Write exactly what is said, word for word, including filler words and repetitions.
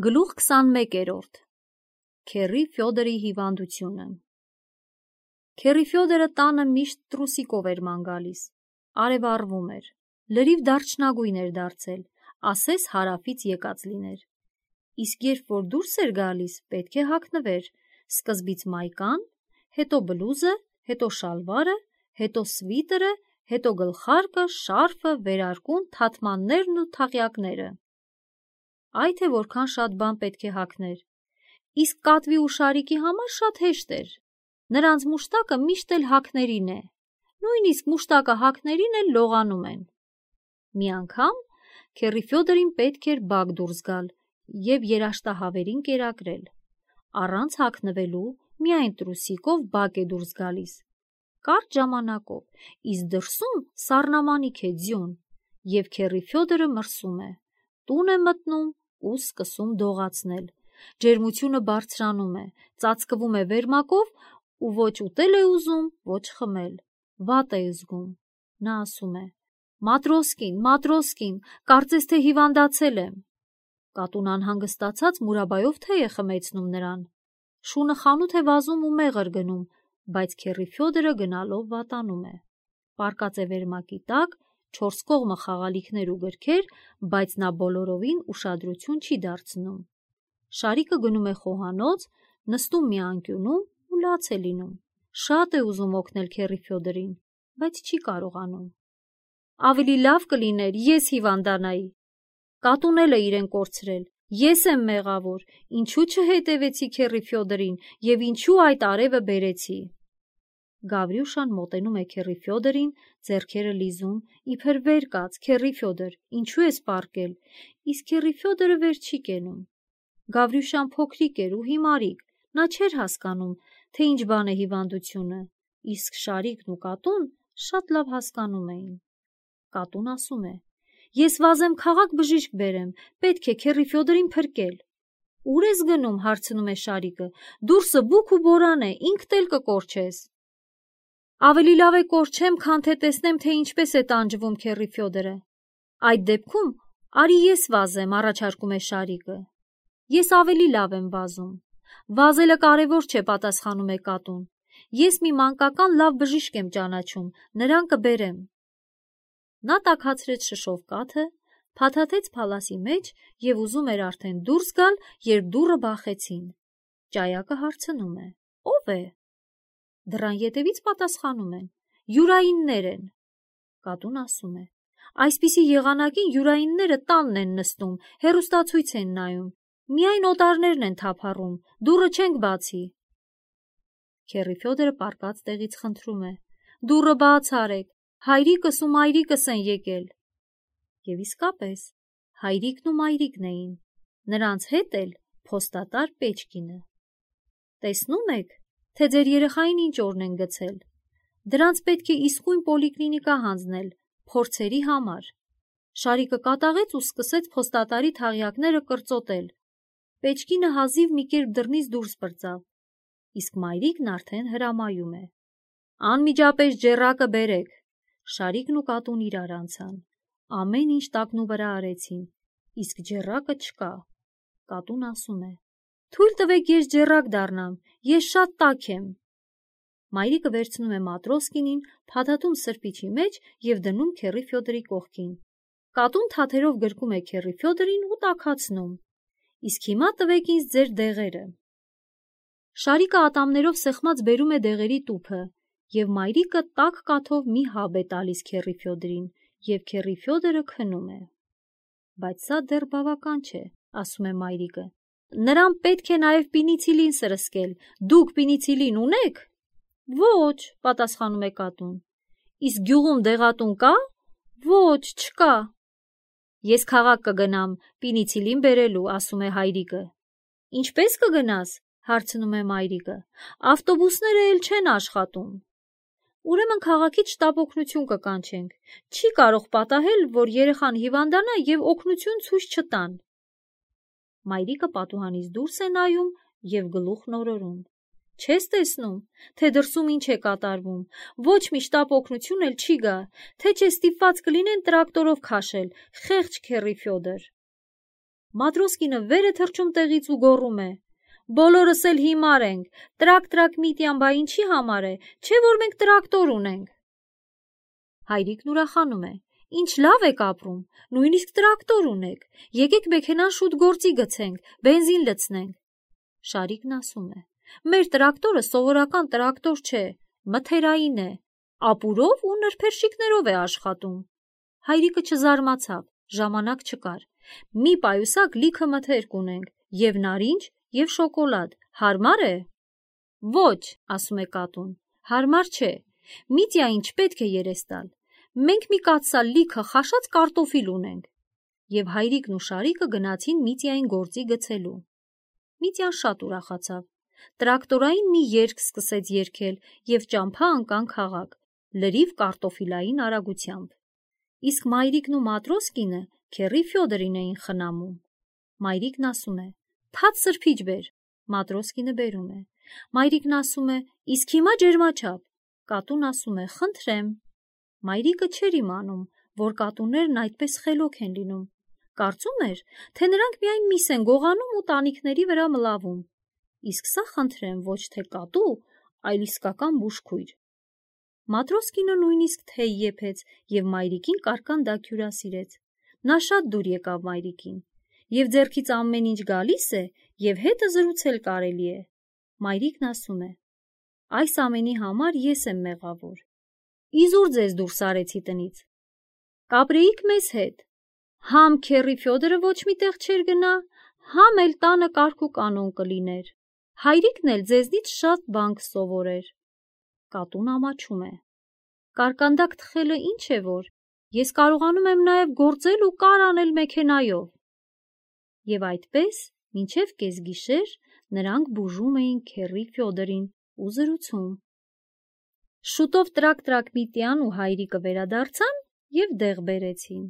Գլուխ քսանմեկերորդ Քեռի Ֆյոդորի հիվանդությունը Քեռի Ֆյոդորը տանը միշտ տրուսիկով էր ման գալիս, արևառվում էր, լրիվ դարչնագույն էր դարձել, ասես հարավից եկած լիներ, իսկ երբ որ դուրս էր գալիս, պետք է հագնվեր, սկզբից մայկան, հետո բլուզը, հետո շալվարը, հետո սվիտրը, հետո գլխարկը, շարֆը, վերարկուն, թաթմաններն ու թաղյակները, այ թե որքան շատ բան պետք է հագներ, իսկ կատվի ու շարիկի համար շատ հեշտ էր, նրանց մուշտակը միշտ էլ հագներին է, նույնիսկ մուշտակը հագներին էլ լողանում են։ Մի անգամ Քեռի Ֆյոդորին պետք էր բակ դուրս գալ և երաշտահավերին կերակրել, առանց հագնվելու միայն տրուսիկով բակ է դուրս գալիս, կարճ ժամանակով, իսկ դրսում սառնամանիք է ձյուն, և Քեռի Ֆյոդորը մրսում է, տուն է մտնում ու սկսում դողացնել, ջերմությունը բարձրանում է, ծածկվում է վերմակով ու ոչ ուտել է ուզում, ոչ խմել, վատ է զգում, նա ասում է. «Մատրոսկին, Մատրոսկին, կարծես թե հիվանդացել եմ»։ Կատուն անհանգստացած մուրաբայով թեյ է խմեցնում նրան, շունը խանութ է վազում ու մեղր գնում, բայց Քեռի Ֆյոդորը գնալով վատանում է, պառկած է վերմակի տակ, չորս կողմը խաղալիքներ ու գրքեր, բայց նա բոլորովին ուշադրություն չի դարձնում, շարիկը գնում է խոհանոց, նստում մի անկյունում ու լաց է լինում, շատ է ուզում օգնել Քեռի Ֆյոդորին, բայց չի կարողանում։ Ավելի լավ կլիներ ես հիվանդանայի, կատուն էլ է իրեն կորցրել, ես եմ մեղավոր, ինչու չհետևեցի Քեռի Ֆյոդորին և ինչու այդ արևը բերեցի։ Գավրյուշան մոտենում է Քեռի Ֆյոդորին, ձեռքերը լիզում, իբր վեր կաց, Քեռի Ֆյոդոր, ինչու ես պառկել, իսկ Քեռի Ֆյոդորը վեր չի կենում։ Գավրյուշան փոքրիկ էր ու հիմարիկ, նա չէր հասկանում, թե ինչ բան է հիվանդությունը, իսկ շարիկն ու կատուն շատ լավ հասկանում էին։ Կատուն ասում է. «Ես վազեմ քաղաք բժիշկ բերեմ, պետք է Քեռի Ֆյոդորին փրկել»։ «Ուր ես գնում»՝ հարցնում է շարիկը, «դուրսը բուք ու բորան է, ինքդ էլ կկորչես»։ Ավելի լավ է կորչեմ, քան թե տեսնեմ, թե ինչպես է տանջվում Քեռի Ֆյոդորը։ Այդ դեպքում արի ես վազեմ, առաջարկում է շարիկը։ Ես ավելի լավ եմ վազում։ Վազելը կարևոր չէ, պատասխանում է կատուն։ Ես մի մանկական լավ բժիշկ եմ ճանաչում, նրան կբերեմ։ Նա տաքացրեց շշով կաթը, փաթաթեց փալասի մեջ և ուզում էր արդեն դուրս գալ, երբ դուռը բախեցին։ Ճայակը հարցնում է. «Ո՞վ է»։ Դռան ետևից պատասխանում են. «Յուրայիններ են»։ Կատուն ասում է. «Այսպիսի եղանակին յուրայինները տանն են նստում, հեռուստացույց են նայում, միայն օտարներն են թափառում, դուռը չենք բացի»։ Քեռի Ֆյոդորը պառկած տեղից խնդրում է. «Դուռը բաց արեք, հայրիկս ու մայրիկս են եկել»։ Եվ իսկապես, հայրիկն ու մայրիկն էին, նրանց հետ էլ փոստատար Պեչկինը։ Տեսնո՞ւմ եք, թե ձեր երեխային ինչ օրն են գցել։ Դրանց պետք է իսկույն պոլիկլինիկա հանձնել, փորձերի համար։ Շարիկը կատաղեց ու սկսեց փոստատարի թաղյակները կրծոտել։ Պեչկինը հազիվ մի կերպ դռնից դուրս պրծավ, իսկ մայրիկն արդեն հրամայում է. «Անմիջապես ջեռակը բերեք»։ Շարիկն ու կատուն իրար անցան, ամեն ինչ տակնու վրա արեցին, իսկ ջեռակը չկա։ Կատուն ասում է. «Թույլ տվեք ես ջեռակ դառնամ, ես շատ տաք եմ»։ Մայրիկը վերցնում է Մատրոսկինին, փաթաթում սրբիչի մեջ և դնում Քեռի Ֆյոդորի կողքին։ Կատուն թաթերով գրկում է Քեռի Ֆյոդորին ու տաքացնում. «Իսկ հիմա տվեք ինձ ձեր դեղերը»։ Շարիկը ատամներով սեղմած բերում է դեղերի տուփը, և մայրիկը տաք կաթով մի հաբ է տալիս Քեռի Ֆյոդորին, և Քեռի Ֆյոդորը քնում է։ «Բայց սա դեռ բավական չէ», ասում է մայրիկը, «նրան պետք է նաև պինիցիլին սրսկել, դուք պինիցիլին ունե՞ք»։ «Ոչ», պատասխանում է կատուն։ «Իսկ գյուղում դեղատուն կա»։ «Ոչ, չկա»։ «Ես քաղաք կգնամ պինիցիլին բերելու», ասում է հայրիկը։ «Ինչպե՞ս կգնաս», հարցնում է մայրիկը, «ավտոբուսները էլ չեն աշխատում»։ «Ուրեմն քաղաքից շտապ օգնություն կկանչենք, չի կարող պատահել, որ երեխան հիվանդանա և օգնություն ցույց չտան»։ Մայրիկը պատուհանից դուրս է նայում և գլուխն օրորում. «Չես տեսնում, թե դրսում ինչ է կատարվում, ոչ մի շտապ օգնություն էլ չի գա, թե չէ ստիպված կլինեն տրակտորով քաշել, խեղճ Քեռի Ֆյոդոր»։ Մատրոսկինը վեր է թռչում տեղից ու գոռում է. «Բոլորս էլ հիմար ենք, տրակ-տրակ Միտյան, բա ինչի համար է, չէ որ մենք տրակտոր ունենք»։ Հայրիկն ուրախանում է. «Ինչ լավ եք ապրում, նույնիսկ տրակտոր ունեք, եկեք մեքենան շուտ գործի գցենք, բենզին լցնենք»։ Շարիկն ասում է. «Մեր տրակտորը սովորական տրակտոր չէ, մթերային է, ապուրով ու նրբերշիկներով է աշխատում»։ Հայրիկը չզարմացավ, ժամանակ չկար։ «Մի պայուսակ լիքը մթերք ունենք, և նարինջ, և շոկոլադ, հարմար է»։ «Ոչ», ասում է կատուն, հարմար չէ, Միտյային չպետք է երես տալ, մենք մի կաթսա լիքը խաշած կարտոֆիլ ունենք։ Եվ հայրիկն ու Շարիկը գնացին Միտյային գործի գցելու։ Միտյան շատ ուրախացավ, տրակտորային մի երգ սկսեց երգել և ճամփա ընկան քաղաք, լրիվ կարտոֆիլային արագությամբ։ Իսկ մայրիկն ու Մատրոսկինը քեռի Ֆյոդորին էին խնամում։ Մայրիկն ասում է. «Թաց սրբիչ բեր»։ Մատրոսկինը բերում է։ Մայրիկն ասում է. «Իսկ հիմա ջերմաչափ»։ Կատուն ասում է. «Խնդրեմ»։ Մայրիկը չէր իմանում, որ կատուներն այդպես խելոք են լինում։ Կարծում էր, թե նրանք միայն միս են գողանում ու տանիքների վրա մլավում։ Իսկ սա, խնդրեմ, ոչ թե կատու, այլ իսկական բուժքույր։ Մատրոսկինը նույնիսկ թեյ եփեց և մայրիկին կարկանդակ հյուրասիրեց։ Նա շատ դուր եկավ մայրիկին, և ձեռքից ամեն ինչ գալիս է, և հետը զրուցել կարելի է։ Մայրիկն ասում է. «Այս ամենի համար ես եմ մեղավոր։ Իզուր ձեզ դուրս արեցի տնից։ Կապրեիք մեզ հետ։ Համ քեռի Ֆյոդորը ոչ մի տեղ չէր գնա, համ էլ տանը կարգ ու կանոն կլիներ։ Հայրիկն էլ ձեզնից շատ բան կսովորեր»։ Կատուն ամաչում է. «Կարկանդակ թխելը ինչ է որ, ես կարողանում եմ նաև գործել ու կար անել մեքենայով»։ Եվ այդպես, մինչև կեսգիշեր նրանք բուժում էին քեռի Ֆյոդորին ու զրուցում։ Շուտով տրակ-տրակ Միտյան ու հայրիկը վերադարձան և դեղ բերեցին։